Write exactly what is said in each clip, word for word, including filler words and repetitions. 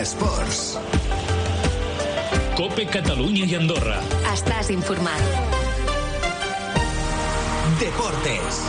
Esports. COPE Catalunya i Andorra. Estàs informat. Deportes.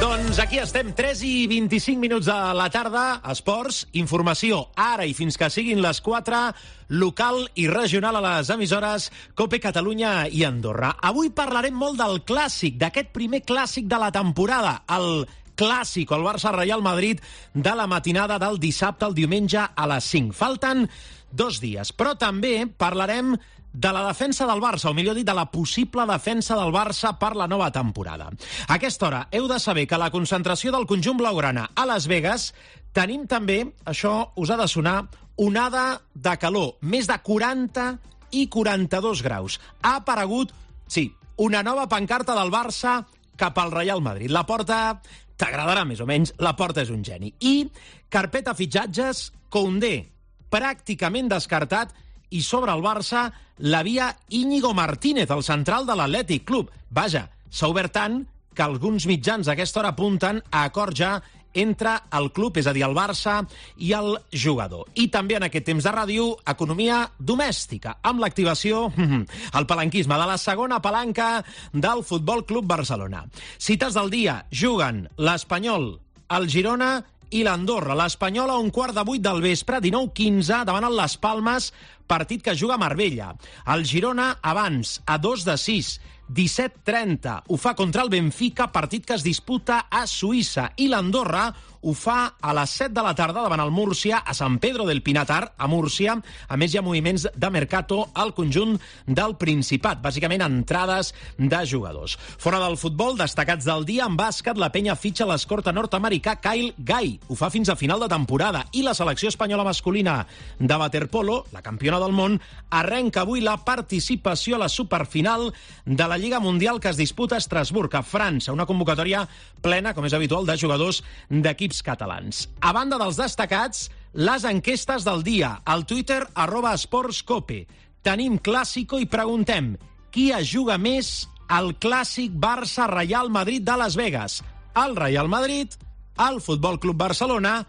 Doncs aquí estem, tres i vint-i-cinc minuts de la tarda, esports, informació, ara i fins que siguin les quatre, local i regional a les emissores COPE Catalunya i Andorra. Avui parlarem molt del clàssic, d'aquest primer clàssic de la temporada, el clàssic, el Barça-Reial Madrid, de la matinada del dissabte al diumenge a les cinc. Falten dos dies, però també parlarem de la defensa del Barça, o millor dit, de la possible defensa del Barça per la nova temporada. A aquesta hora heu de saber que a la concentració del conjunt blaugrana a Las Vegas tenim també, això us ha de sonar, onada de calor, més de quaranta i quaranta-dos graus. Ha aparegut, sí, una nova pancarta del Barça cap al Reial Madrid. La porta t'agradarà més o menys, la porta és un geni. I carpeta fitxatges, Koundé, pràcticament descartat, i sobre el Barça la via Íñigo Martínez, el central de l'Atlètic Club. Vaja, s'ha obert tant que alguns mitjans a aquesta hora apunten a acord ja entre el club, és a dir, el Barça i el jugador. I també en aquest temps de ràdio, economia domèstica, amb l'activació, el palanquisme de la segona palanca del Futbol Club Barcelona. Cites del dia, juguen l'Espanyol, el Girona i l'Andorra. L'Espanyol a un quart de vuit del vespre, dinou quinze, davant el Las Palmes, partit que juga a Marbella. El Girona abans, a dos de sis, disset trenta, ho fa contra el Benfica, partit que es disputa a Suïssa. I l'Andorra ho fa a les set de la tarda davant el Múrcia, a Sant Pedro del Pinatar, a Múrcia. A més, hi ha moviments de mercato al conjunt del Principat, bàsicament entrades de jugadors. Fora del futbol, destacats del dia, en bàsquet, la penya fitxa l'escorta nord-americà Kyle Guy. Ho fa fins a final de temporada. I la selecció espanyola masculina de waterpolo, la campiona del món, arrenca avui la participació a la superfinal de la Lliga Mundial que es disputa a Estrasburg, a França. Una convocatòria plena, com és habitual, de jugadors d'equips catalans. A banda dels destacats, les enquestes del dia, al Twitter, arroba esportscope. Tenim clàssico i preguntem qui es juga més al clàssic Barça-Reial Madrid de Las Vegas? El Reial Madrid, el Futbol Club Barcelona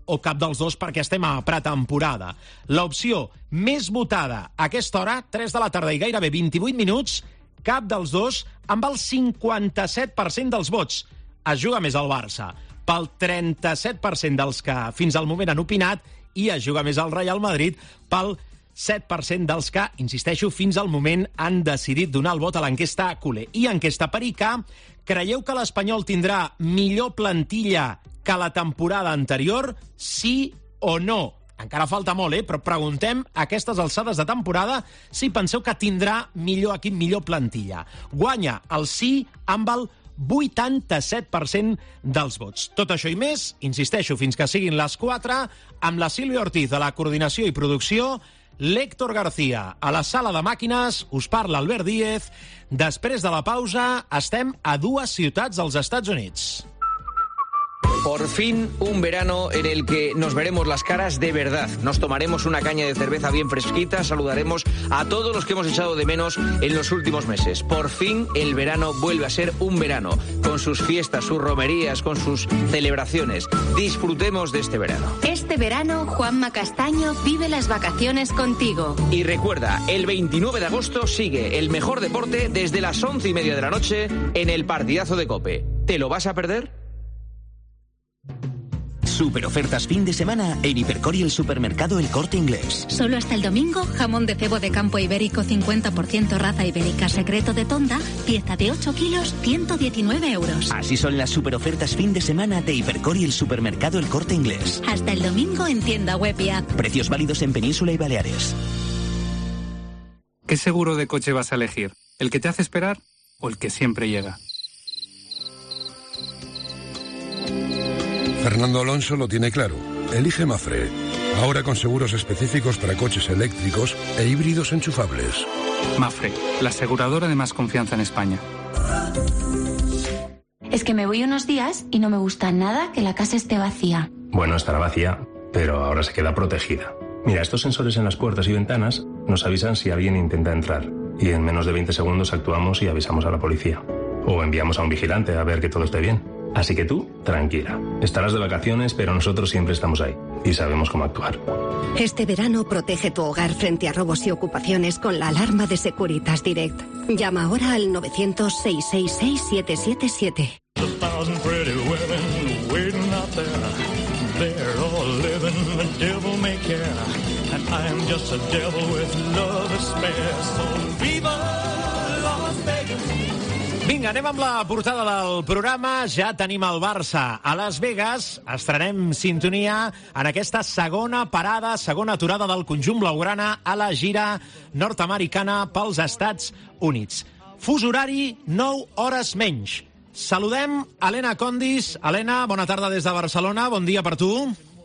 o cap dels dos, perquè estem a pretemporada. L'opció més votada a aquesta hora, tres de la tarda i gairebé vint-i-vuit minuts, cap dels dos, amb el cinquanta-set per cent dels vots. Es juga més al Barça, pel trenta-set per cent dels que fins al moment han opinat, i es juga més al Reial Madrid pel set per cent dels que, insisteixo, fins al moment han decidit donar el vot a l'enquesta Culé. I enquesta Perica, creieu que l'Espanyol tindrà millor plantilla que la temporada anterior? Sí o no? Encara falta molt, eh? Però preguntem a aquestes alçades de temporada si penseu que tindrà millor equip, millor plantilla. Guanya el sí amb el vuitanta-set per cent dels vots. Tot això i més, insisteixo, fins que siguin les quatre, amb la Sílvia Ortiz a la coordinació i producció, l'Héctor García a la sala de màquines, us parla Albert Díez. Després de la pausa, estem a dues ciutats dels Estats Units. Por fin, un verano en el que nos veremos las caras de verdad. Nos tomaremos una caña de cerveza bien fresquita, saludaremos a todos los que hemos echado de menos en los últimos meses. Por fin, el verano vuelve a ser un verano, con sus fiestas, sus romerías, con sus celebraciones. Disfrutemos de este verano. Este verano, Juanma Castaño vive las vacaciones contigo. Y recuerda, el veintinueve de agosto sigue el mejor deporte desde las once y media de la noche en el partidazo de COPE. ¿Te lo vas a perder? Super ofertas fin de semana en Hipercor y el supermercado El Corte Inglés. Solo hasta el domingo, jamón de cebo de campo ibérico cincuenta por ciento raza ibérica secreto de Tonda, pieza de ocho kilos, ciento diecinueve euros. Así son las super ofertas fin de semana de Hipercor y el supermercado El Corte Inglés. Hasta el domingo en tienda web y app. Precios válidos en Península y Baleares. ¿Qué seguro de coche vas a elegir? ¿El que te hace esperar o el que siempre llega? Fernando Alonso lo tiene claro. Elige Mafre. Ahora con seguros específicos para coches eléctricos e híbridos enchufables. Mafre, la aseguradora de más confianza en España. Es que me voy unos días y no me gusta nada que la casa esté vacía. Bueno, estará vacía, pero ahora se queda protegida. Mira, estos sensores en las puertas y ventanas nos avisan si alguien intenta entrar. Y en menos de veinte segundos actuamos y avisamos a la policía. O enviamos a un vigilante a ver que todo esté bien. Así que tú, tranquila. Estarás de vacaciones, pero nosotros siempre estamos ahí y sabemos cómo actuar. Este verano protege tu hogar frente a robos y ocupaciones con la alarma de Securitas Direct. Llama ahora al novecientos, seiscientos sesenta y seis, siete siete siete. Vinga, anem amb la portada del programa. Ja tenim el Barça a Las Vegas. Estrenem sintonia en aquesta segona parada, segona aturada del conjunt blaugrana a la gira nord-americana pels Estats Units. Fus horari, nou hores menys. Saludem Helena Condis. Helena, bona tarda des de Barcelona. Bon dia per tu.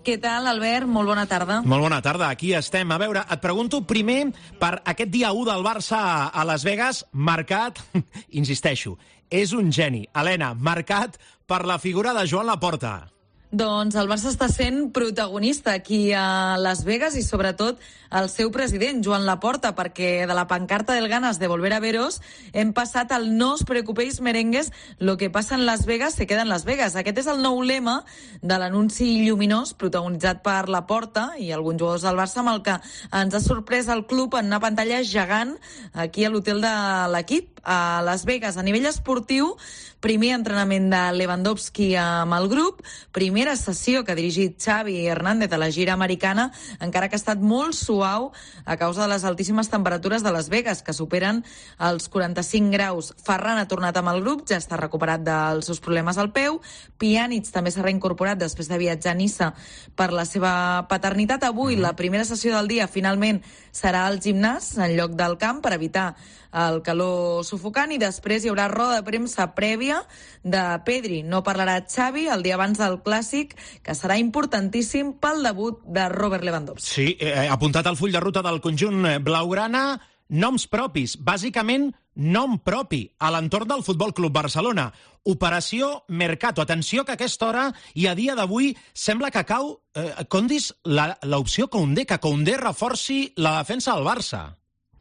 Què tal, Albert? Molt bona tarda. Molt bona tarda, aquí estem. A veure, et pregunto primer per aquest dia u del Barça a Las Vegas, marcat, insisteixo, és un geni. Helena, marcat per la figura de Joan Laporta. Doncs el Barça està sent protagonista aquí a Las Vegas i sobretot el seu president, Joan Laporta, perquè de la pancarta del ganas de volver a veros hem passat al no os preocupéis merengues, lo que passa en Las Vegas se queda en Las Vegas. Aquest és el nou lema de l'anunci lluminós protagonitzat per Laporta i alguns jugadors del Barça, amb el que ens ha sorprès el club en una pantalla gegant aquí a l'hotel de l'equip a Las Vegas. A nivell esportiu, primer entrenament de Lewandowski amb el grup, primera sessió que ha dirigit Xavi Hernández a la gira americana, encara que ha estat molt suau a causa de les altíssimes temperatures de Las Vegas, que superen els quaranta-cinc graus. Ferran ha tornat amb el grup, ja està recuperat dels seus problemes al peu. Pjanic també s'ha reincorporat després de viatjar a Niça per la seva paternitat. Avui, la primera sessió del dia, finalment, serà al gimnàs, en lloc del camp, per evitar el calor sufocant, i després hi haurà roda de premsa prèvia de Pedri. No parlarà Xavi el dia abans del Clàssic, que serà importantíssim pel debut de Robert Lewandowski. Sí, eh, apuntat al full de ruta del conjunt blaugrana, noms propis, bàsicament nom propi a l'entorn del Futbol Club Barcelona. Operació Mercato. Atenció que a aquesta hora i a dia d'avui sembla que cau, eh, Condis, l'opció Koundé, que Koundé reforci la defensa del Barça.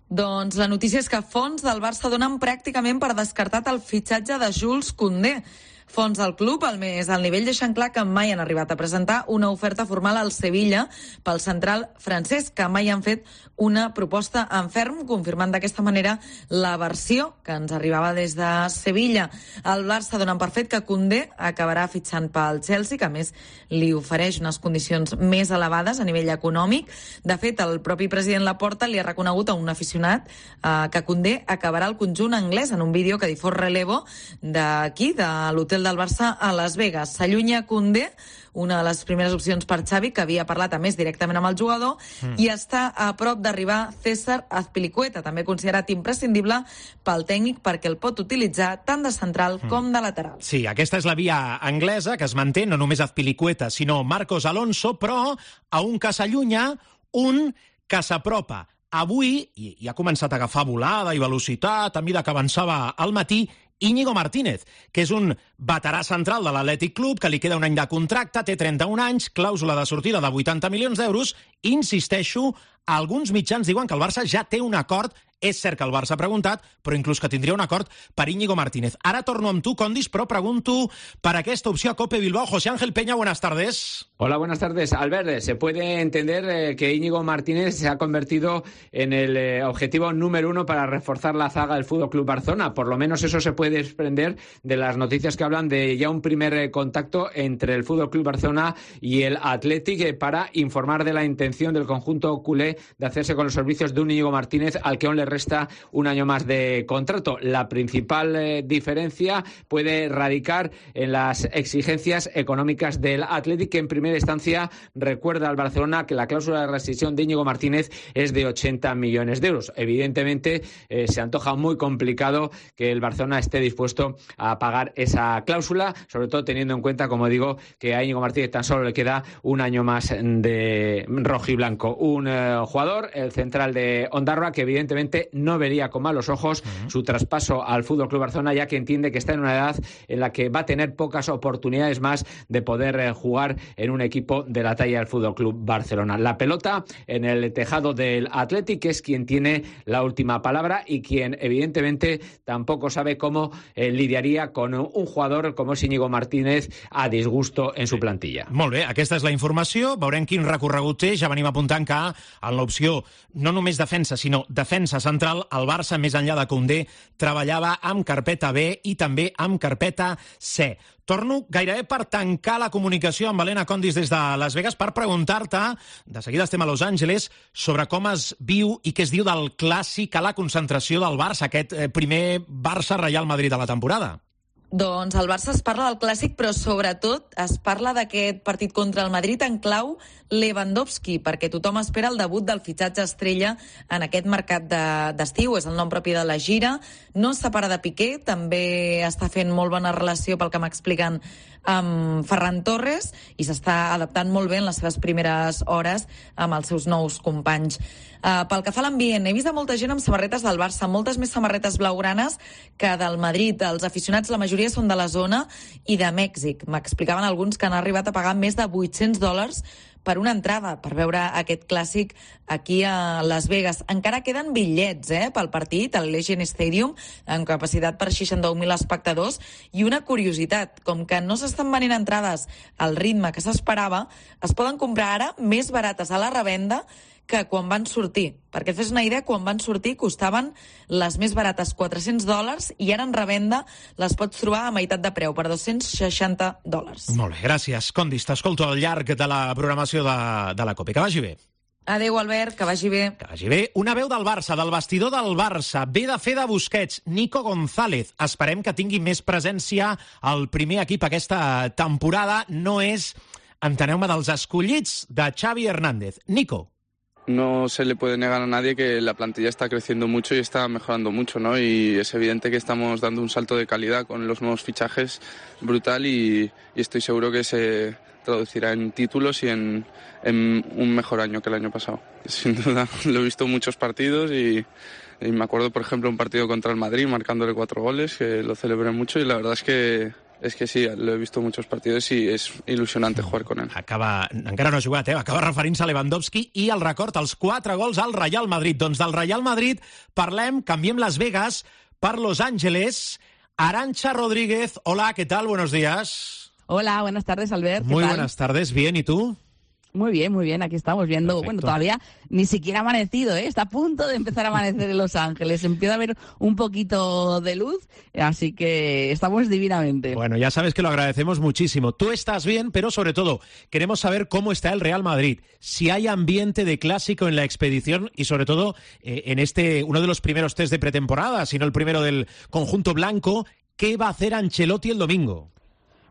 Doncs la notícia és que fons del Barça donen pràcticament per descartat el fitxatge de Jules Koundé. Fons del club, al més al nivell, deixen clar que mai han arribat a presentar una oferta formal al Sevilla pel central francès, que mai han fet una proposta en ferm, confirmant d'aquesta manera la versió que ens arribava des de Sevilla. El Barça donen per fet que Koundé acabarà fitxant pel Chelsea, que a més li ofereix unes condicions més elevades a nivell econòmic. De fet, el propi president Laporta li ha reconegut a un aficionat eh, que Koundé acabarà al conjunt anglès en un vídeo que difós Relevo d'aquí, de l'hotel del Barça a Las Vegas. S'allunya Koundé, una de les primeres opcions per Xavi, que havia parlat a més directament amb el jugador, mm. i està a prop d'arribar César Azpilicueta, també considerat imprescindible pel tècnic perquè el pot utilitzar tant de central mm. com de lateral. Sí, aquesta és la via anglesa que es manté, no només Azpilicueta, sinó Marcos Alonso, però a un que s'allunya, un que s'apropa. Avui, i, i ha començat a agafar volada i velocitat a mesura que avançava al matí, Íñigo Martínez, que és un veterà central de l'Atlètic Club, que li queda un any de contracte, té trenta-un anys, clàusula de sortida de vuitanta milions d'euros. Insisteixo, alguns mitjans diuen que el Barça ja té un acord. És cert que el Barça ha preguntat, però inclús que tindria un acord per Íñigo Martínez. Ara torno amb tu, Condis, però pregunto per aquesta opció a Cope Bilbao. José Ángel Peña, buenas tardes. Hola, buenas tardes. Albert, se puede entender eh, que Íñigo Martínez se ha convertido en el eh, objetivo número uno para reforzar la zaga del Fútbol Club Barcelona. Por lo menos eso se puede desprender de las noticias que hablan de ya un primer eh, contacto entre el Fútbol Club Barcelona y el Athletic eh, para informar de la intención del conjunto culé de hacerse con los servicios de un Íñigo Martínez, al que aún le resta un año más de contrato. La principal eh, diferencia puede radicar en las exigencias económicas del Athletic, que en primera instancia recuerda al Barcelona que la cláusula de rescisión de Íñigo Martínez es de ochenta millones de euros. Evidentemente eh, se antoja muy complicado que el Barcelona esté dispuesto a pagar esa cláusula, sobre todo teniendo en cuenta, como digo, que a Íñigo Martínez tan solo le queda un año más de rojiblanco. Un eh, jugador, el central de Ondarroa, que evidentemente no vería con malos ojos uh-huh. su traspaso al F C Barcelona, ya que entiende que está en una edad en la que va a tener pocas oportunidades más de poder eh, jugar en un equipo de la talla del F C Barcelona. La pelota en el tejado del Athletic, que es quien tiene la última palabra y quien evidentemente tampoco sabe cómo eh, lidiaria con un jugador com és Íñigo Martínez a disgusto en su plantilla. Molt bé, aquesta és la informació. Veurem quin recorregut té. Ja venim apuntant que en l'opció no només defensa, sinó defensa central, el Barça, més enllà de Koundé, treballava amb carpeta B i també amb carpeta C. Torno gairebé per tancar la comunicació amb Helena Condis des de Las Vegas per preguntar-te, de seguida estem a Los Angeles, sobre com es viu i què es diu del clàssic a la concentració del Barça, aquest primer Barça-Real Madrid de la temporada. Doncs al Barça es parla del clàssic, però sobretot es parla d'aquest partit contra el Madrid en clau Lewandowski, perquè tothom espera el debut del fitxatge estrella en aquest mercat d'estiu. És el nom propi de la gira. No es separa de Piqué, també està fent molt bona relació, pel que m'expliquen, amb Ferran Torres, i s'està adaptant molt bé en les seves primeres hores amb els seus nous companys. Uh, pel que fa a l'ambient, he vist a molta gent amb samarretes del Barça, moltes més samarretes blaugranes que del Madrid. Els aficionats, la majoria són de la zona i de Mèxic. M'explicaven alguns que han arribat a pagar més de vuit-cents dòlars per una entrada, per veure aquest clàssic aquí a Las Vegas. Encara queden bitllets eh, pel partit, al Legend Stadium, amb capacitat per seixanta-un mil espectadors. I una curiositat, com que no s'estan venent entrades al ritme que s'esperava, es poden comprar ara més barates a la revenda que quan van sortir. Perquè et fes una idea, quan van sortir costaven les més barates quatre-cents dòlars i ara en revenda les pots trobar a meitat de preu, per dos-cents seixanta dòlars. Molt bé, gràcies. Condis, t'escolto al llarg de la programació de, de la COPE. Que vagi bé. Adéu, Albert, que vagi bé. Que vagi bé. Una veu del Barça, del vestidor del Barça. Ve de fer de Busquets, Nico González. Esperem que tingui més presència al primer equip aquesta temporada. No és, enteneu-me, dels escollits de Xavi Hernández. Nico. No se le puede negar a nadie que la plantilla está creciendo mucho y está mejorando mucho, ¿no? Y es evidente que estamos dando un salto de calidad con los nuevos fichajes brutal y, y estoy seguro que se traducirá en títulos y en, en un mejor año que el año pasado. Sin duda, lo he visto en muchos partidos y, y me acuerdo, por ejemplo, un partido contra el Madrid marcándole cuatro goles, que lo celebré mucho y la verdad es que És que sí, lo he visto en muchos partidos y es ilusionante jugar con él. Acaba, encara no ha jugat, eh? Acaba referint-se a Lewandowski i el record als quatre gols al Real Madrid. Doncs del Real Madrid parlem, canviem Las Vegas per Los Ángeles. Arantxa Rodríguez, hola, ¿qué tal? Buenos días. Hola, buenas tardes, Albert. Muy buenas tardes, bien, ¿y tú? Muy bien, muy bien, aquí estamos viendo, Perfecto. Bueno, todavía ni siquiera ha amanecido, ¿eh? Está a punto de empezar a amanecer en Los Ángeles, empieza a haber un poquito de luz, así que estamos divinamente. Bueno, ya sabes que lo agradecemos muchísimo. Tú estás bien, pero sobre todo queremos saber cómo está el Real Madrid, si hay ambiente de clásico en la expedición y sobre todo eh, en este, uno de los primeros test de pretemporada, si no el primero del conjunto blanco. ¿Qué va a hacer Ancelotti el domingo?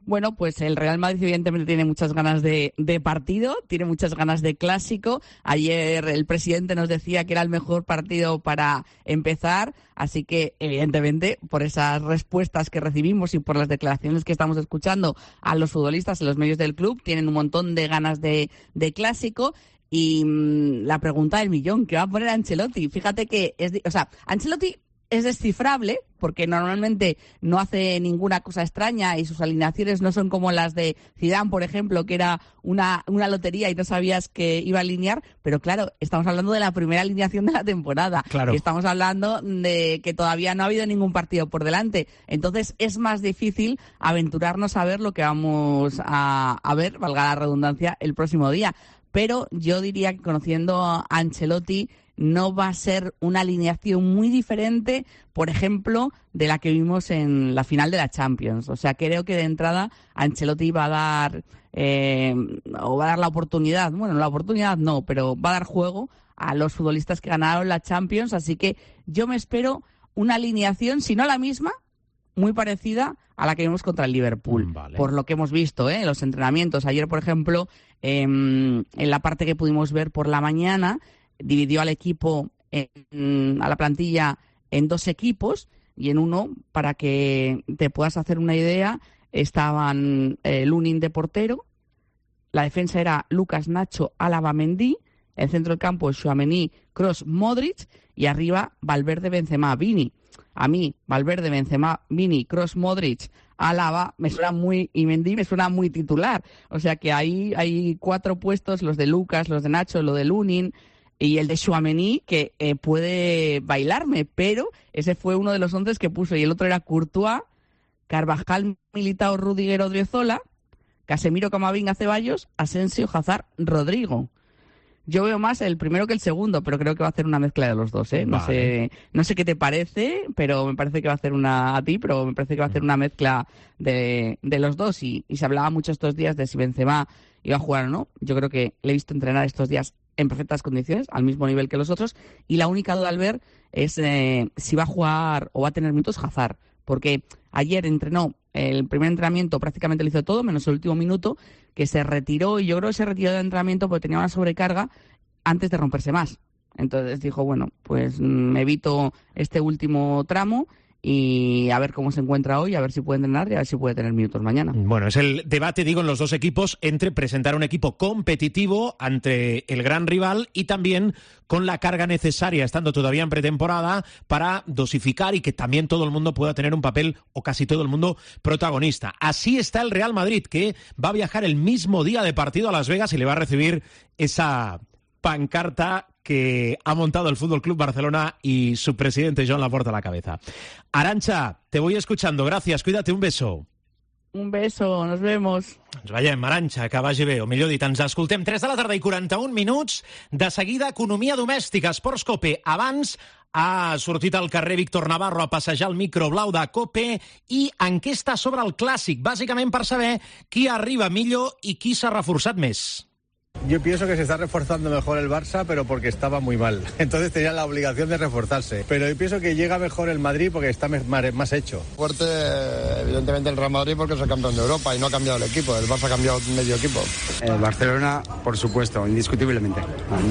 Bueno, pues el Real Madrid evidentemente tiene muchas ganas de, de partido, tiene muchas ganas de clásico. Ayer el presidente nos decía que era el mejor partido para empezar, así que evidentemente por esas respuestas que recibimos y por las declaraciones que estamos escuchando a los futbolistas en los medios del club, tienen un montón de ganas de, de clásico. Y mmm, la pregunta del millón, ¿qué va a poner Ancelotti? Fíjate que, es, o sea, Ancelotti es descifrable porque normalmente no hace ninguna cosa extraña y sus alineaciones no son como las de Zidane, por ejemplo, que era una, una lotería y no sabías que iba a alinear, pero claro, estamos hablando de la primera alineación de la temporada. Claro. Estamos hablando de que todavía no ha habido ningún partido por delante, entonces es más difícil aventurarnos a ver lo que vamos a, a ver, valga la redundancia, el próximo día. Pero yo diría que conociendo a Ancelotti no va a ser una alineación muy diferente, por ejemplo, de la que vimos en la final de la Champions. O sea, creo que de entrada Ancelotti va a dar, eh, o va a dar la oportunidad, bueno, la oportunidad no, pero va a dar juego a los futbolistas que ganaron la Champions. Así que yo me espero una alineación, si no la misma, muy parecida a la que vimos contra el Liverpool, vale. Por lo que hemos visto ¿eh? en los entrenamientos. Ayer, por ejemplo, eh, en la parte que pudimos ver por la mañana, dividió al equipo, en, a la plantilla, en dos equipos, y en uno, para que te puedas hacer una idea, estaban eh, Lunin de portero, la defensa era Lucas, Nacho, Álava, Mendy, En centro del campo, Tchouaméni, Kroos, Modric, y arriba Valverde, Benzema, Vini. A mí, Valverde, Benzema, Vini, Kroos, Modric, Álava, me suena muy, y Mendy me suena muy titular. O sea que ahí hay cuatro puestos, los de Lucas, los de Nacho, lo de Lunin y el de Tchouaméni, que eh, puede bailarme, pero ese fue uno de los once que puso, y el otro era Courtois, Carvajal, Militao, Rudiger, Odriozola, Casemiro, Camavinga, Ceballos, Asensio, Hazard, Rodrigo. Yo veo más el primero que el segundo, pero creo que va a hacer una mezcla de los dos, ¿eh? No Vale. sé, no sé qué te parece, pero me parece que va a hacer una a ti, pero me parece que va a hacer una mezcla de, de los dos. Y, y se hablaba mucho estos días de si Benzema iba a jugar o no. Yo creo que le he visto entrenar estos días en perfectas condiciones, al mismo nivel que los otros. Y la única duda al ver es eh, si va a jugar o va a tener minutos Hazard, porque ayer entrenó. El primer entrenamiento prácticamente lo hizo todo, menos el último minuto, que se retiró, y yo creo que se retiró del entrenamiento porque tenía una sobrecarga antes de romperse más. Entonces dijo, bueno, pues me evito este último tramo y a ver cómo se encuentra hoy, a ver si puede entrenar y a ver si puede tener minutos mañana. Bueno, es el debate, digo, en los dos equipos entre presentar un equipo competitivo ante el gran rival y también con la carga necesaria, estando todavía en pretemporada, para dosificar y que también todo el mundo pueda tener un papel, o casi todo el mundo, protagonista. Así está el Real Madrid, que va a viajar el mismo día de partido a Las Vegas y le va a recibir esa pancarta que ha montado el Fútbol Club Barcelona y su presidente Joan Laporta a la cabeza. Arantxa, te voy escuchando. Gracias, cuídate, un beso. Un beso, nos vemos. Ens veiem, Arantxa, que vagi bé, o millor dit, ens escoltem. tres de la tarda i quaranta-un minuts. De seguida, economia domèstica, Esports Cope. Abans ha sortit al carrer Víctor Navarro a passejar el micro blau de Cope i enquesta sobre el Clàssic, bàsicament per saber qui arriba millor i qui s'ha reforçat més. Yo pienso que se está reforzando mejor el Barça, pero porque estaba muy mal. Entonces tenía la obligación de reforzarse. Pero yo pienso que llega mejor el Madrid porque está más hecho. Fuerte, evidentemente, el Real Madrid porque es el campeón de Europa y no ha cambiado el equipo. El Barça ha cambiado medio equipo. El Barcelona, por supuesto, indiscutiblemente.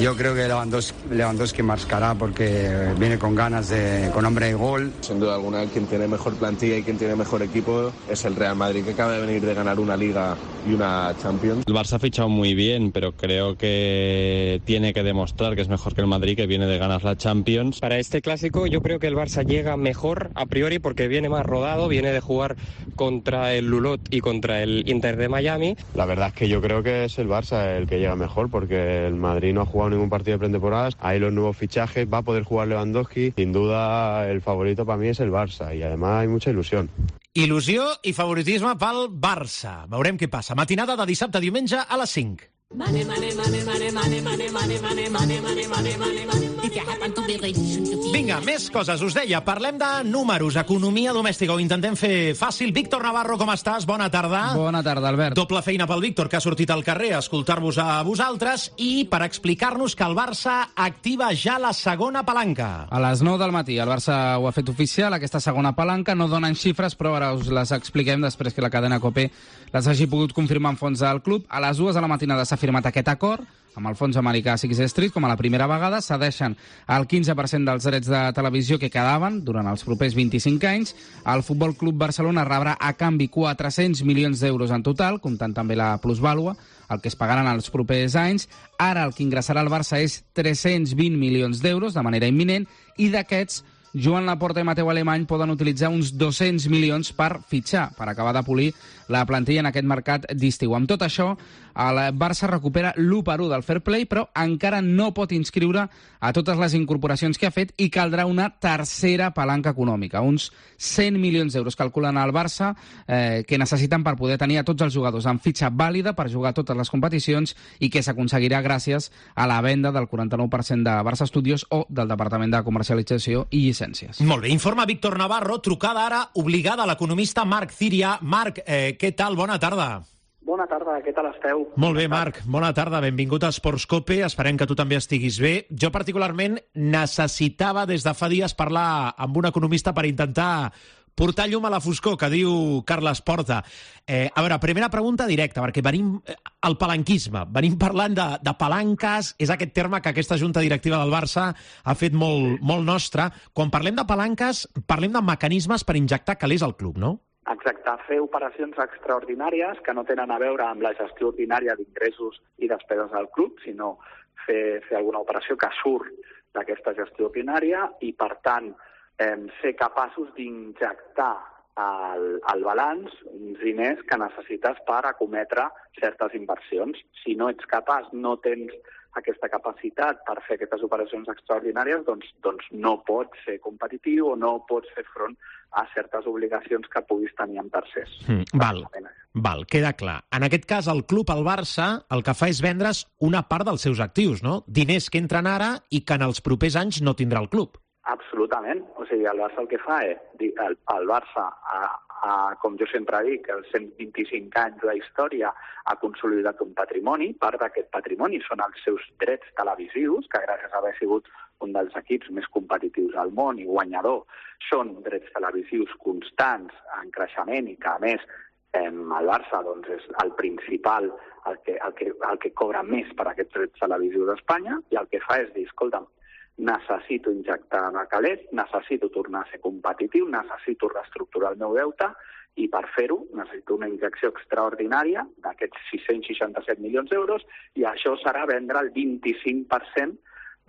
Yo creo que Lewandowski, Lewandowski marcará porque viene con ganas, de, con hambre de gol. Sin duda alguna, quien tiene mejor plantilla y quien tiene mejor equipo es el Real Madrid, que acaba de venir de ganar una Liga y una Champions. El Barça ha fichado muy bien, pero creo que tiene que demostrar que es mejor que el Madrid, que viene de ganar la Champions. Para este clásico yo creo que el Barça llega mejor a priori porque viene más rodado, viene de jugar contra el Lulot y contra el Inter de Miami. La verdad es que yo creo que es el Barça el que llega mejor porque el Madrid no ha jugado ningún partido de pretemporada. Hay los nuevos fichajes, va a poder jugar Lewandowski. Sin duda el favorito para mí es el Barça y además hay mucha ilusión. Il·lusió i favoritisme pel Barça. Veurem què passa. Matinada de dissabte a diumenge a les cinc. Money, money, money, money, money, money, money, money, money, money, money, money, money. If you happen to be rich and to be... Vinga, més coses. Us deia, parlem de números, economia domèstica. Ho intentem fer fàcil. Víctor Navarro, com estàs? Bona tarda. Bona tarda, Albert. Doble feina pel Víctor, que ha sortit al carrer a escoltar-vos a vosaltres i per explicar-nos que el Barça activa ja la segona palanca. A les nou del matí el Barça ho ha fet oficial, aquesta segona palanca. No donen xifres, però ara us les expliquem després que la cadena Cope les hagi pogut confirmar en fons del club. A les dues de la matinada s'ha firmat aquest acord amb el fons americà Sixth Street, com a la primera vegada. Cedeixen el quinze per cent dels drets de televisió que quedaven durant els propers vint-i-cinc anys. El Futbol Club Barcelona rebrà a canvi quatre-cents milions d'euros en total, comptant també la plusvàlua, el que es pagaran els propers anys. Ara el que ingressarà al Barça és tres-cents vint milions d'euros de manera imminent, i d'aquests Joan Laporta i Mateu Alemany poden utilitzar uns dos-cents milions per fitxar, per acabar de polir la plantilla en aquest mercat d'estiu. Amb tot això, el Barça recupera l'u per u del fair play, però encara no pot inscriure a totes les incorporacions que ha fet i caldrà una tercera palanca econòmica. Uns cent milions d'euros calculen al Barça eh, que necessiten per poder tenir a tots els jugadors en fitxa vàlida per jugar a totes les competicions i que s'aconseguirà gràcies a la venda del quaranta-nou per cent de Barça Studios o del Departament de Comercialització i Llicències. Molt bé, informa Víctor Navarro, trucada ara obligada a l'economista Marc Ciria. Marc, eh, què tal? Bona tarda. Bona tarda, què tal esteu? Molt bé, Marc, bona tarda, benvingut a Esports Cope, esperem que tu també estiguis bé. Jo particularment necessitava des de fa dies parlar amb un economista per intentar portar llum a la foscor, que diu Carles Porta. Eh, a veure, primera pregunta directa, perquè venim al palanquisme, venim parlant de, de palanques, és aquest terme que aquesta junta directiva del Barça ha fet molt, molt nostre. Quan parlem de palanques, parlem de mecanismes per injectar calés al club, no? Exacte, fer operacions extraordinàries que no tenen a veure amb la gestió ordinària d'ingressos i despeses del club, sinó fer, fer alguna operació que surt d'aquesta gestió ordinària i, per tant, eh, ser capaços d'injectar al, al balanç uns diners que necessites per acometre certes inversions. Si no ets capaç, no tens aquesta capacitat per fer aquestes operacions extraordinàries, doncs, doncs no pots ser competitiu o no pots fer front a certes obligacions que puguis tenir amb tercers. Mm, val, val, queda clar. En aquest cas, el club, el Barça, el que fa és vendre's una part dels seus actius, no? Diners que entren ara i que en els propers anys no tindrà el club. Absolutament. O sigui, el Barça el que fa és... El, el Barça, a, a, com jo sempre dic, els cent vint-i-cinc anys de història ha consolidat un patrimoni. Part d'aquest patrimoni són els seus drets televisius, que gràcies a haver sigut un dels equips més competitius al món i guanyador, són drets televisius constants, en creixement, i que, a més, eh, el Barça doncs, és el principal, el que, el, que, el que cobra més per aquests drets televisius d'Espanya, i el que fa és dir, escolta'm, necessito injectar una calés, necessito tornar a ser competitiu, necessito reestructurar el meu deute, i per fer-ho necessito una injecció extraordinària d'aquests sis-cents seixanta-set milions d'euros, i això serà vendre el vint-i-cinc per cent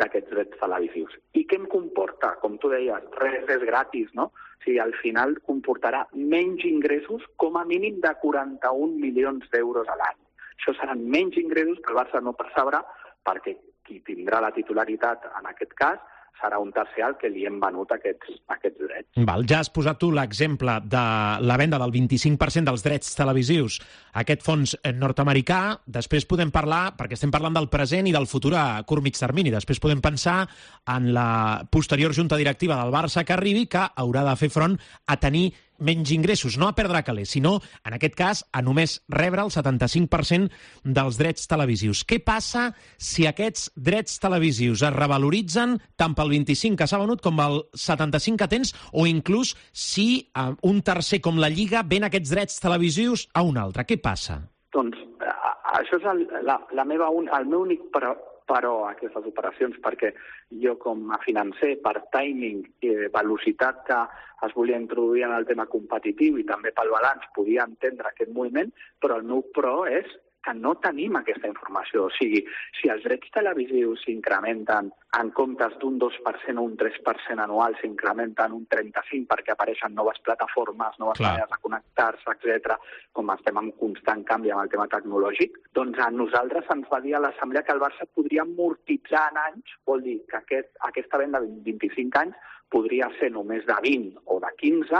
d'aquests drets televisius. I què em comporta? Com tu deies, res és gratis, no? O sigui, al final comportarà menys ingressos, com a mínim de quaranta-un milions d'euros a l'any. Això seran menys ingressos que el Barça no percebrà, perquè qui tindrà la titularitat en aquest cas serà un tercer al que li hem venut aquests, aquests drets. Val, ja has posat tu l'exemple de la venda del vint-i-cinc per cent dels drets televisius a aquest fons nord-americà. Després podem parlar, perquè estem parlant del present i del futur a curt mig termini, després podem pensar en la posterior junta directiva del Barça que arribi, que haurà de fer front a tenir menys ingressos, no a perdre calés, sinó, en aquest cas, a només rebre el setanta-cinc per cent dels drets televisius. Què passa si aquests drets televisius es revaloritzen tant pel vint-i-cinc que s'ha venut com el setanta-cinc que tens, o inclús si eh, un tercer com la Lliga ven aquests drets televisius a un altre? Què passa? Doncs eh, això és el, la, la meva un, el meu únic però, però a aquestes operacions, perquè jo com a financer, per timing i velocitat que es volia introduir en el tema competitiu i també pel balanç, podia entendre aquest moviment, però el meu pro és que no tenim aquesta informació. O sigui, si els drets televisius s'incrementen en comptes d'un dos per cent o un tres per cent anual, s'incrementen un trenta-cinc per cent perquè apareixen noves plataformes, noves Clar. maneres de connectar-se, etcètera, com estem en constant canvi amb el tema tecnològic, doncs a nosaltres ens va dir a l'Assemblea que el Barça podria amortitzar en anys, vol dir que aquest, aquesta venda de vint-i-cinc anys podria ser només de vint o de quinze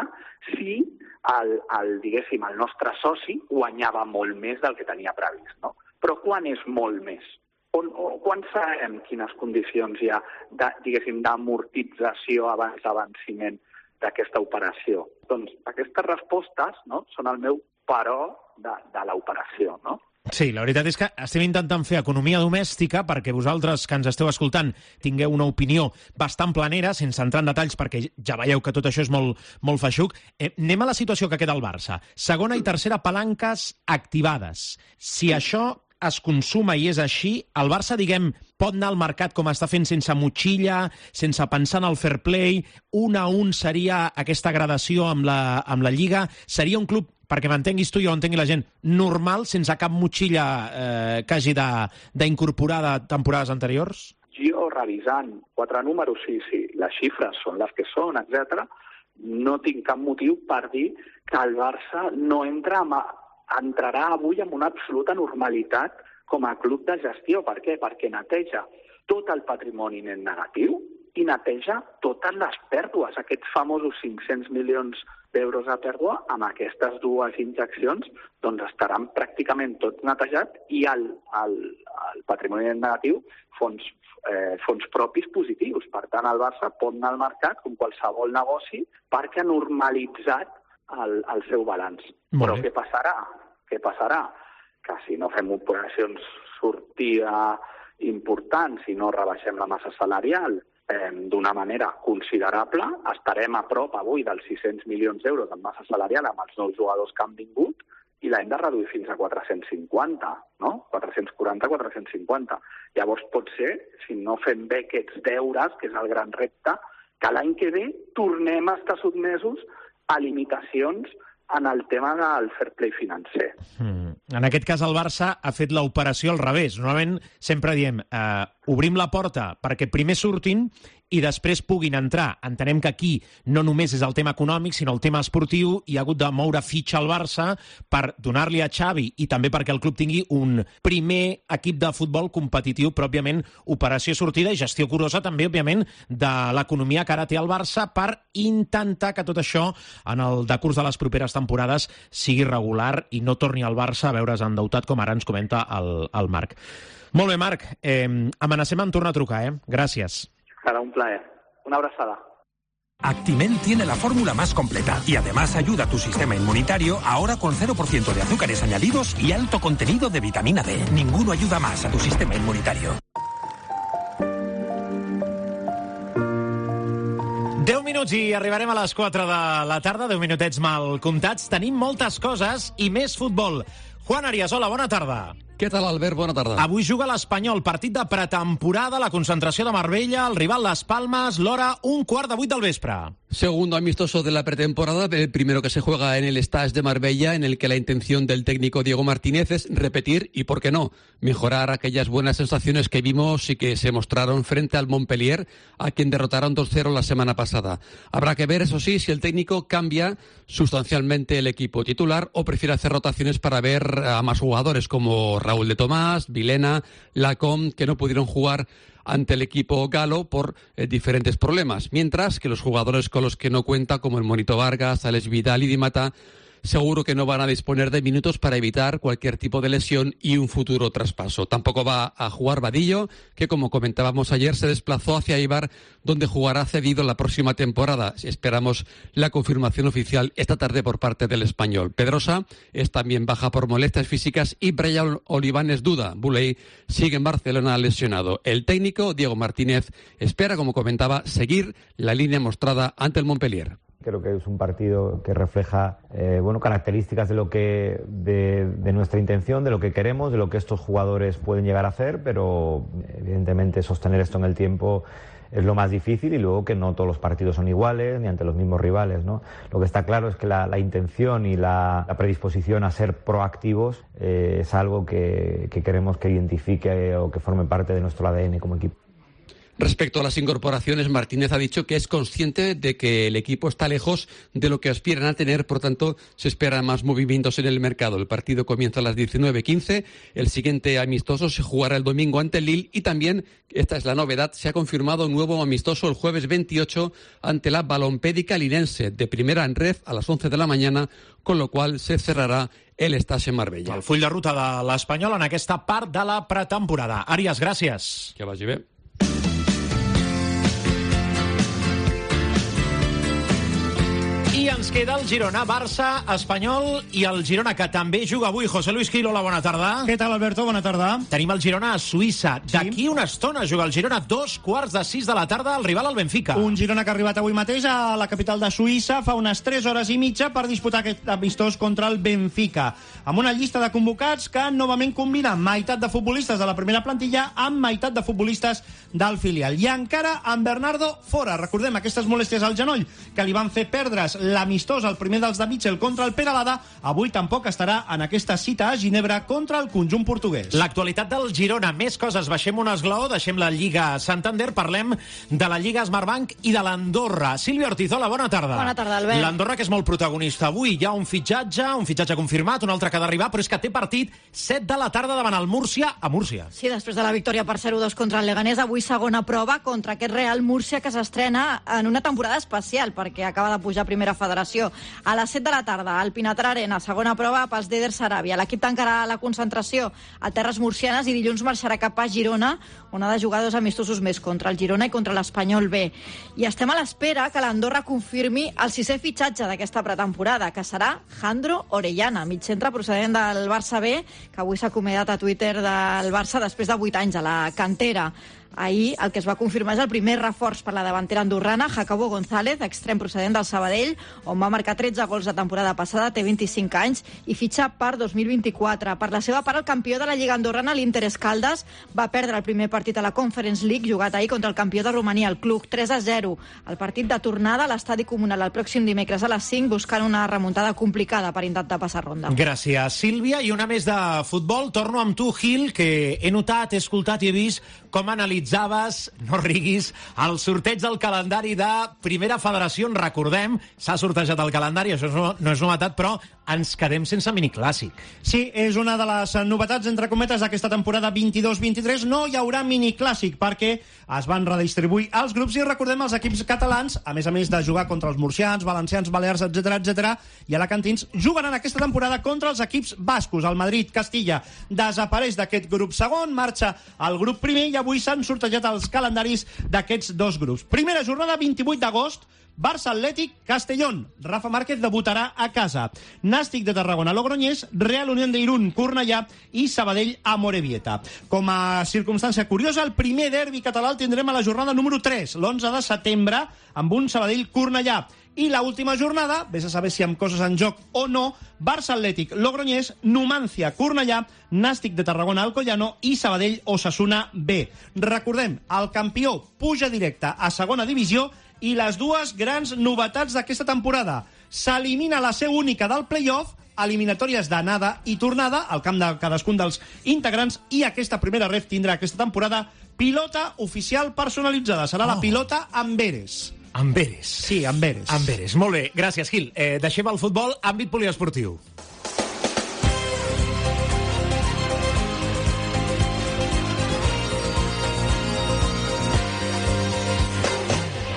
si el, el, diguéssim, el nostre soci guanyava molt més del que tenia previst, no? Però quan és molt més? On, o, quan sabem quines condicions hi ha de, diguéssim, d'amortització abans d'avenciment d'aquesta operació? Doncs aquestes respostes, no, són el meu però de, de l'operació, no? Sí, la veritat és que estem intentant fer economia domèstica perquè vosaltres que ens esteu escoltant tingueu una opinió bastant planera, sense entrar en detalls, perquè ja veieu que tot això és molt, molt feixuc. Eh, anem a la situació que queda al Barça. Segona i tercera palanques activades. Si això es consuma i és així, el Barça, diguem, pot anar al mercat com està fent sense motxilla, sense pensar en el fair play, un a un seria aquesta gradació amb la, amb la Lliga, seria un club, perquè m'entenguis tu i ho entengui la gent, normal, sense cap motxilla eh, que hagi d'incorporar de, de temporades anteriors? Jo, revisant quatre números, sí, sí, les xifres són les que són, etcètera, no tinc cap motiu per dir que el Barça no entra amb, entrarà avui amb una absoluta normalitat com a club de gestió. Per què? Perquè neteja tot el patrimoni net negatiu i neteja totes les pèrdues, aquests famosos cinc-cents milions d'euros de pèrdua, amb aquestes dues injeccions doncs estaran pràcticament tot netejat i el, el, el patrimoni net negatiu fons, eh, fons propis positius. Per tant, el Barça pot anar al mercat com qualsevol negoci perquè ha normalitzat el, el seu balanç. Però què passarà? Què passarà? Que si no fem operacions sortida importants, si no rebaixem la massa salarial eh, d'una manera considerable, estarem a prop avui dels sis-cents milions d'euros en massa salarial amb els nous jugadors que han vingut i l'hem de reduir fins a quatre-cents cinquanta, no? quatre-cents quaranta, quatre-cents cinquanta. Llavors pot ser, si no fem bé aquests deures, que és el gran repte, que l'any que ve tornem a estar sotmesos a limitacions en el tema del fair play financer. Mm. En aquest cas, el Barça ha fet l'operació al revés. Normalment sempre diem, eh, obrim la porta perquè primer surtin i després puguin entrar. Entenem que aquí no només és el tema econòmic, sinó el tema esportiu, i ha hagut de moure fitxa al Barça per donar-li a Xavi i també perquè el club tingui un primer equip de futbol competitiu, però, òbviament, operació sortida i gestió curosa també, òbviament, de l'economia que ara té el Barça per intentar que tot això, en el decurs de les properes temporades, sigui regular i no torni el Barça a veure's endeutat, com ara ens comenta el, el Marc. Molt bé, Marc. Eh, amenacem en tornar a trucar, eh? Gràcies. Será un placer. Una abrazada. Actimel tiene la fórmula más completa y además ayuda a tu sistema inmunitario ahora con cero por ciento de azúcares añadidos y alto contenido de vitamina D. Ninguno ayuda más a tu sistema inmunitario. deu minuts i arribarem a les quatre de la tarda, deu minutets mal comptats. Tenim moltes coses i més futbol. Juan Arias, hola, bona tarda. Què tal, Albert? Bona tarda. Avui juga l'Espanyol, partit de pretemporada, la concentració de Marbella, el rival Las Palmas, l'hora un quart de vuit del vespre. Segundo amistoso de la pretemporada, el primero que se juega en el Stade de Marbella, en el que la intención del técnico Diego Martínez es repetir y, ¿por qué no?, mejorar aquellas buenas sensaciones que vimos y que se mostraron frente al Montpellier, a quien derrotaron dos cero la semana pasada. Habrá que ver, eso sí, si el técnico cambia sustancialmente el equipo titular o prefiere hacer rotaciones para ver a más jugadores como Raúl de Tomás, Vilena, Lacombe, que no pudieron jugar ante el equipo galo por eh, diferentes problemas, mientras que los jugadores con los que no cuenta, como el Monito Vargas, Alex Vidal y Di Mata, seguro que no van a disponer de minutos para evitar cualquier tipo de lesión y un futuro traspaso. Tampoco va a jugar Vadillo, que, como comentábamos ayer, se desplazó hacia Eibar, donde jugará cedido la próxima temporada. Esperamos la confirmación oficial esta tarde por parte del Español. Pedrosa es también baja por molestias físicas y Brian Oliván es duda. Buley sigue en Barcelona lesionado. El técnico, Diego Martínez, espera, como comentaba, seguir la línea mostrada ante el Montpellier. Creo que es un partido que refleja eh, bueno, características de lo que de, de nuestra intención, de lo que queremos, de lo que estos jugadores pueden llegar a hacer, pero evidentemente sostener esto en el tiempo es lo más difícil, y luego que no todos los partidos son iguales ni ante los mismos rivales, ¿no? Lo que está claro es que la, la intención y la, la predisposición a ser proactivos eh, es algo que, que queremos que identifique o que forme parte de nuestro A D N como equipo. Respecto a las incorporaciones, Martínez ha dicho que es consciente de que el equipo está lejos de lo que aspiran a tener, por tanto, se esperan más movimientos en el mercado. El partido comienza a las diecinueve quince, el siguiente amistoso se jugará el domingo ante el Lille y también, esta es la novedad, se ha confirmado un nuevo amistoso el jueves veintiocho ante la Balompédica Linense, de primera en red a las once de la mañana, con lo cual se cerrará el Stade Marbella. El full de ruta de l'Espanyol en aquesta part de la pretemporada. Arias, gràcies. Que vagi bé. I ens queda el Girona, Barça, Espanyol i el Girona, que també juga avui. José Luis Gil, hola, bona tarda. Què tal, Alberto? Bona tarda. Tenim el Girona a Suïssa. Sí. D'aquí una estona juga el Girona, dos quarts de sis de la tarda, el rival al Benfica. Un Girona que ha arribat avui mateix a la capital de Suïssa fa unes tres hores i mitja per disputar aquest amistós contra el Benfica, amb una llista de convocats que novament combina meitat de futbolistes de la primera plantilla amb meitat de futbolistes del filial. I encara amb Bernardo fora. Recordem aquestes molèsties al genoll que li van fer perdre's l'amistós, el primer dels de Mitchell contra el Peralada. Avui tampoc estarà en aquesta cita a Ginebra contra el conjunt portuguès. L'actualitat del Girona, més coses. Baixem un esglaó, deixem la Lliga Santander, parlem de la Lliga Smartbank i de l'Andorra. Sílvia Ortiz, hola, bona tarda. Bona tarda, Albert. L'Andorra, que és molt protagonista avui. Hi ha un fitxatge, un fitxatge confirmat, un altre que ha d'arribar, però és que té partit set de la tarda davant el Múrcia, a Múrcia. Sí, després de la victòria per zero dos contra el Leganés, avui segona prova contra aquest Real Múrcia, que s'estrena en una temporada especial perquè acaba de pujar a primera federació. A les set de la tarda, al Pinatar Arena, segona prova pels d'Eder Saràbia. L'equip tancarà la concentració a terres murcianes i dilluns marxarà cap a Girona, on ha de jugar dos amistosos més, contra el Girona i contra l'Espanyol B. I estem a l'espera que l'Andorra confirmi el sisè fitxatge d'aquesta pretemporada, que serà Jandro Orellana, mitjcentre procedent del Barça B, que avui s'ha acomiadat a Twitter del Barça després de vuit anys a la cantera. Ahir el que es va confirmar és el primer reforç per la davantera andorrana, Jacobo González, extrem procedent del Sabadell, on va marcar tretze gols la temporada passada, té vint-i-cinc anys i fitxa per dos mil vint-i-quatre. Per la seva part, el campió de la Lliga Andorrana, l'Inter Escaldes, va perdre el primer partit a la Conference League, jugat ahir contra el campió de Romania, el Cluj, tres a zero. El partit de tornada a l'estadi comunal el pròxim dimecres a les cinc, buscant una remuntada complicada per intentar passar ronda. Gràcies, Sílvia. I una més de futbol. Torno amb tu, Gil, que he notat, he escoltat i he vist com analitzaves, no riguis, el sorteig del calendari de Primera Federació. En recordem, s'ha sortejat el calendari, això no és novetat, però ens quedem sense miniclàssic. Sí, és una de les novetats, entre cometes, d'aquesta temporada vint-i-dos vint-i-tres. No hi haurà miniclàssic perquè es van redistribuir els grups i recordem els equips catalans, a més a més de jugar contra els murcians, valencians, balears, etcètera, etcètera, i alacantins, jugaran aquesta temporada contra els equips bascos. El Madrid, Castilla, desapareix d'aquest grup segon, marxa al grup primer i avui s'han sortejat els calendaris d'aquests dos grups. Primera jornada, vint-i-vuit d'agost, Barça Atlètic, Castellón. Rafa Márquez debutarà a casa. Nàstic de Tarragona, Logroñés, Real Unión de Irún, Cornellà i Sabadell, Amorebieta. Com a circumstància curiosa, el primer derbi català el tindrem a la jornada número tres, l'onze de setembre, amb un Sabadell-Cornellà. I l'última jornada, vés a saber si amb coses en joc o no, Barça Atlètic, Logroñés, Numancia, Cornellà, Nàstic de Tarragona, Alcoyano i Sabadell, Osasuna B. Recordem, el campió puja directe a segona divisió i les dues grans novetats d'aquesta temporada. S'elimina la seu única del play-off, eliminatòries d'anada i tornada al camp de cadascun dels integrants, i aquesta primera ref tindrà aquesta temporada pilota oficial personalitzada. Serà oh. la pilota Amberes. Amberes. Sí, Amberes. Amberes. Molt bé, gràcies, Gil. Eh, deixem el futbol, àmbit poliesportiu.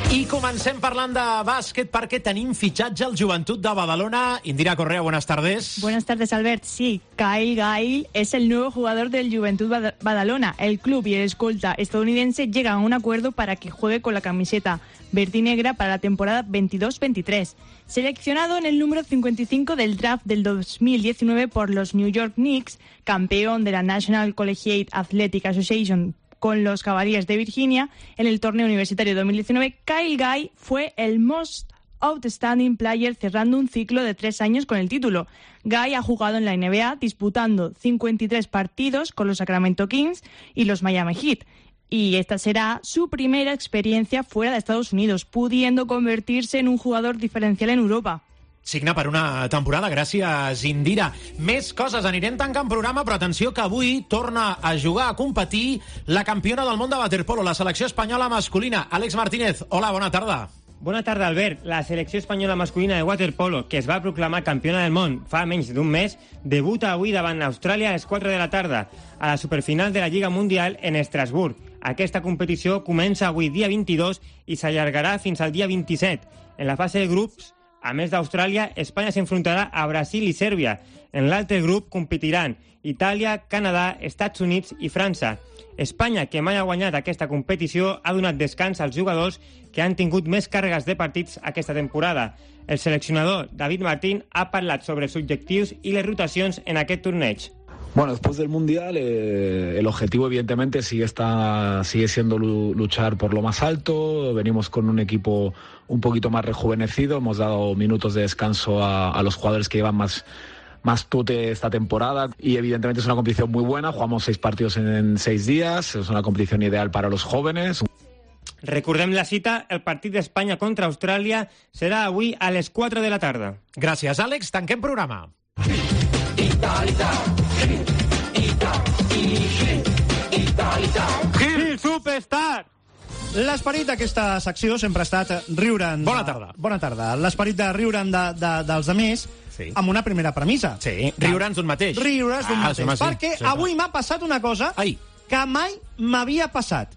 I comencem parlant de bàsquet perquè tenim fitxatge al Joventut de Badalona. Indira Correa, buenas tardes. Buenas tardes, Albert. Sí, Kyle Gail es el nuevo jugador del Joventut Badalona. El club y el escolta estadounidense llegan a un acuerdo para que juegue con la camiseta verde y negra para la temporada veintidós veintitrés. Seleccionado en el número cincuenta y cinco del draft del dos mil diecinueve por los New York Knicks, campeón de la National Collegiate Athletic Association con los Cavaliers de Virginia en el torneo universitario dos mil diecinueve, Kyle Guy fue el Most Outstanding Player cerrando un ciclo de tres años con el título. Guy ha jugado en la N B A disputando cincuenta y tres partidos con los Sacramento Kings y los Miami Heat. Y esta será su primera experiencia fuera de Estados Unidos, pudiendo convertirse en un jugador diferencial en Europa. Signa per una temporada. Gràcies, Indira. Més coses. Anirem tancant programa, però atenció que avui torna a jugar, a competir la campiona del món de waterpolo, la selecció espanyola masculina. Àlex Martínez, hola, bona tarda. Bona tarda, Albert. La selecció espanyola masculina de waterpolo, que es va proclamar campiona del món fa menys d'un mes, debuta avui davant Austràlia a les quatre de la tarda, a la superfinal de la Lliga Mundial en Estrasburg. Aquesta competició comença avui dia vint-i-dos i s'allargarà fins al dia vint-i-set. En la fase de grups, a més d'Austràlia, Espanya s'enfrontarà a Brasil i Sèrbia. En l'altre grup competiran Itàlia, Canadà, Estats Units i França. Espanya, que mai ha guanyat aquesta competició, ha donat descans als jugadors que han tingut més càrregues de partits aquesta temporada. El seleccionador David Martín ha parlat sobre els objectius i les rotacions en aquest torneig. Bueno, después del Mundial, eh, el objetivo evidentemente sigue, está, sigue siendo luchar por lo más alto. Venimos con un equipo un poquito más rejuvenecido. Hemos dado minutos de descanso a, a los jugadores que llevan más, más tute esta temporada. Y evidentemente es una competición muy buena. Jugamos seis partidos en, en seis días. Es una competición ideal para los jóvenes. Recordem la cita, el partit d'Espanya contra Austràlia serà avui a les quatre de la tarda. Gràcies, Àlex. Tanquem programa. Gil Superstar! L'esperit d'aquesta secció sempre ha estat riure'n... Bona tarda. Bona tarda. L'esperit de riure'n de, de, dels altres sí. amb una primera premissa. Sí, riure'ns d'un mateix. Riure'ns d'un ah, mateix. Sí, perquè sí, avui m'ha passat una cosa Ai. que mai m'havia passat.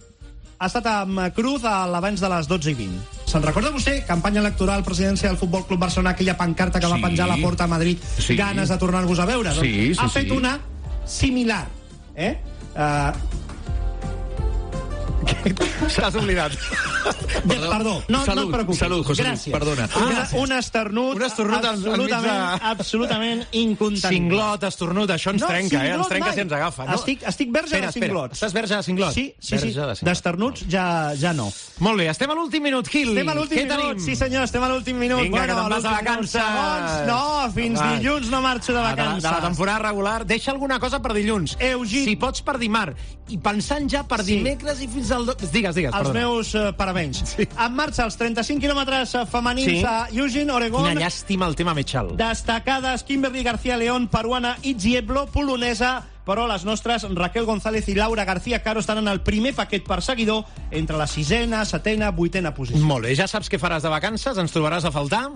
Ha estat amb Cruz a l'abans de les dotze i vint. Se'n recorda vostè? Campanya electoral, presidència del Futbol Club Barcelona, aquella pancarta que sí. va penjar a la porta a Madrid, sí. ganes de tornar-vos a veure. Sí, sí, doncs ha fet sí. una similar. Eh? Uh... Se l'has oblidat. Perdó, no, salut, no et preocupis. Salut, José Luis, Gràcies. perdona. Ah, un esternut, un esternut absolutament, de... absolutament incontenible. Cinglot, esternut, això ens no, trenca, eh? Ens trenca mai. si ens agafa. No? Estic, estic verge espera, de cinglots. Estàs verge de cinglot? Sí, sí, sí. De D'esternuts ja, ja no. Molt bé, estem a l'últim minut, Gil. Estem a l'últim minut, tenim? sí senyor, estem a l'últim minut. Vinga, bueno, que te'n vas de vacances. No, fins Va. dilluns no marxo de vacances. De la, de la temporada regular, deixa alguna cosa per dilluns. Eugit. Si pots per dimarts. I pensant ja per sí. dimecres i fins al... Digues, digues, Els perdona. meus uh, parabéns. Sí. En marxa els trenta-cinc quilòmetres femenins sí. a Eugene, Oregon. Quina llàstima el tema Mechal. Destacades Kimberly García León, peruana, i Zieblo, polonesa, però les nostres Raquel González i Laura García Caro estan en el primer paquet perseguidor entre la sisena, setena, vuitena posició. Molt bé, ja saps què faràs de vacances? Ens trobaràs a faltar?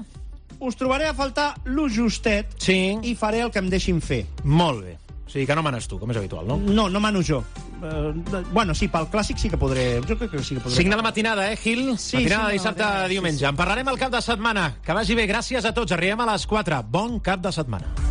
Us trobaré a faltar lo justet sí. i faré el que em deixin fer. Molt bé. O sigui que no manes tu, com és habitual, no? No, no mano jo. Uh, bueno, sí, pel clàssic sí que podré... Jo crec que sí que podré. cinc de la matinada, eh, Gil? Sí, matinada sí, de dissabte matinada, a diumenge. Sí, sí. En parlarem al cap de setmana. Que vagi bé. Gràcies a tots. Arribem a les quatre. Bon cap de setmana.